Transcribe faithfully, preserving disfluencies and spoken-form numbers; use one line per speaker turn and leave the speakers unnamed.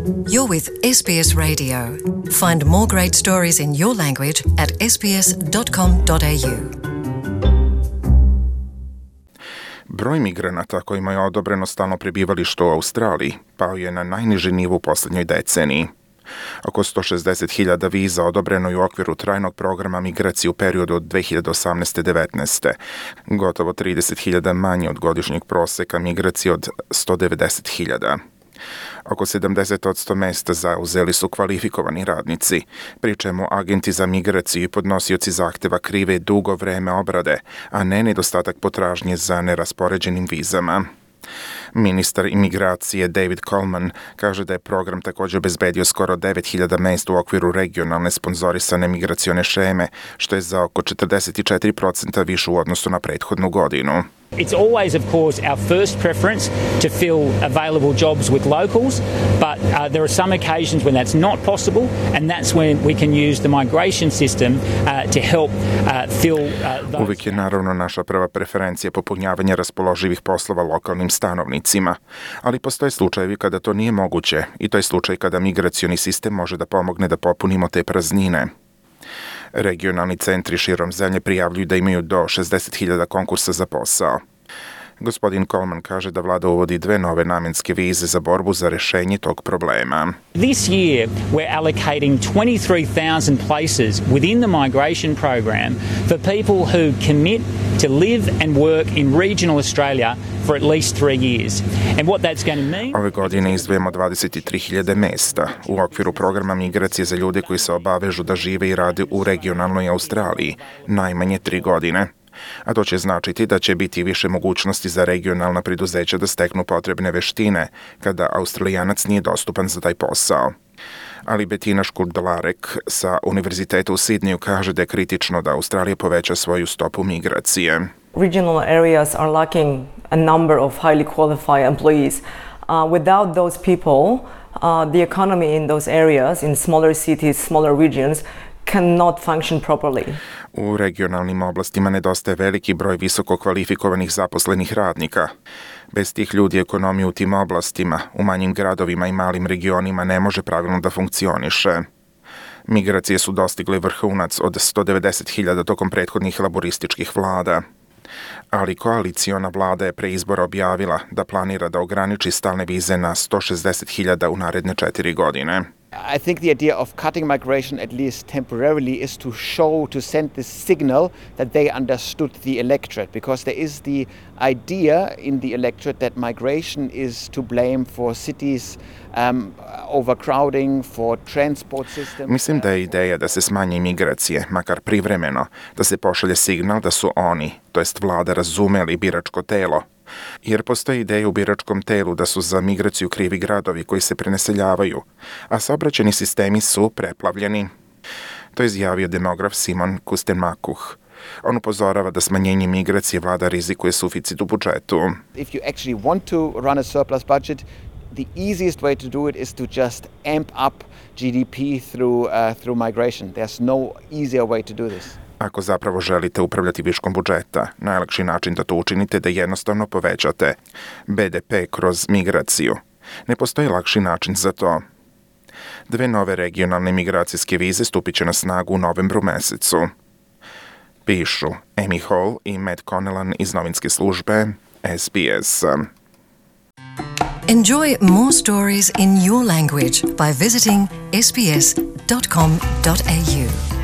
You're with S B S Radio. Find more great stories in your language at s b s dot com dot a u.
Broj migranata kojima je odobreno stalno prebivalište u Australiji pao je na najniži nivo u posljednjoj deceniji. Oko sto šezdeset hiljada viza odobreno je u okviru trajnog programa migracije u periodu od dve hiljade osamnaeste do devetnaeste. Gotovo trideset hiljada manje od godišnjeg proseka migracije od sto devedeset hiljada. Oko sedamdeset posto mesta zauzeli su kvalifikovani radnici, pri čemu agenti za migraciju i podnosioci zahteva krive dugo vreme obrade, a ne nedostatak potražnje za neraspoređenim vizama. Ministar imigracije David Coleman kaže da je program također obezbedio skoro devet hiljada mesta u okviru regionalne sponzorisane migracione šeme, što je za oko četrdeset četiri posto više u odnosu na prethodnu godinu.
It's always, of course, our first preference to fill available jobs with locals, but uh, there are some occasions when that's not possible, and that's when we can use the migration system uh, to help uh, fill uh, those...
Uvijek je naravno naša prva preferencija popunjavanje raspoloživih poslova lokalnim stanovnicima, ali postoje slučajevi kada to nije moguće i to je slučaj kada migracioni sistem može da pomogne da popunimo te praznine. Regionalni centri širom zemlje prijavljuju da imaju do šezdeset hiljada konkursa za posao. Gospodin Coleman kaže da vlada uvodi dve nove namenske vize za borbu za rešenje tog problema.
This year we're allocating twenty-three thousand places within the migration program for people who commit to live and work in regional Australia for at least three years. And what that's going to mean...
Ove godine izdvajamo dvadeset tri hiljade mesta u okviru programa migracije za ljude koji se obavežu da žive i rade u regionalnoj Australiji najmanje tri godine. A to će značiti da će biti više mogućnosti za regionalna preduzeća da steknu potrebne veštine kada Australijanac nije dostupan za taj posao. Ali Bettina Škurdalarek sa Univerziteta u Sidneju kaže da je kritično da Australija poveća svoju stopu migracije.
Regional areas are lacking a number of highly qualified employees. Uh, without those people, uh, the economy in those areas, in smaller cities, smaller regions, cannot function properly.
U regionalnim oblastima nedostaje veliki broj visoko kvalifikovanih zaposlenih radnika. Bez tih ljudi ekonomija u tim oblastima, u manjim gradovima i malim regionima ne može pravilno da funkcioniše. Migracije su dostigle vrhunac od sto devedeset hiljada tokom prethodnih laborističkih vlada. Ali koaliciona vlada je pre izbora objavila da planira da ograniči stalne vize na sto šezdeset hiljada u naredne četiri godine.
I think the idea of cutting migration, at least temporarily, is to show, to send this signal that they understood the electorate, because there is the idea in the electorate that migration is to blame for cities um, overcrowding, for transport systems.
Mislim da je ideja da se smanje migracije, makar privremeno, da se pošalje signal da su oni, to jest vlada, razumeli biračko telo. Jer postoji ideja u biračkom telu da su za migraciju krivi gradovi koji se prenaseljavaju, a saobraćajni sistemi su preplavljeni. To je izjavio demograf Simon Kustenmakuh. On upozorava da smanjenje migracije vlada rizikuje suficit u budžetu.
If you actually want to run a surplus budget, the easiest way to do it is to just amp up G D P through, uh, through migration. There's no easier way to do this.
Ako zapravo želite upravljati viškom budžeta, najlakši način da to učinite je da jednostavno povećate B D P kroz migraciju. Ne postoji lakši način za to. Dve nove regionalne migracijske vize stupit će na snagu u novembru mesecu. Pišu Amy Hall i Matt Connellan iz novinske službe S B S.
Enjoy more stories in your language by visiting s b s dot com dot a u.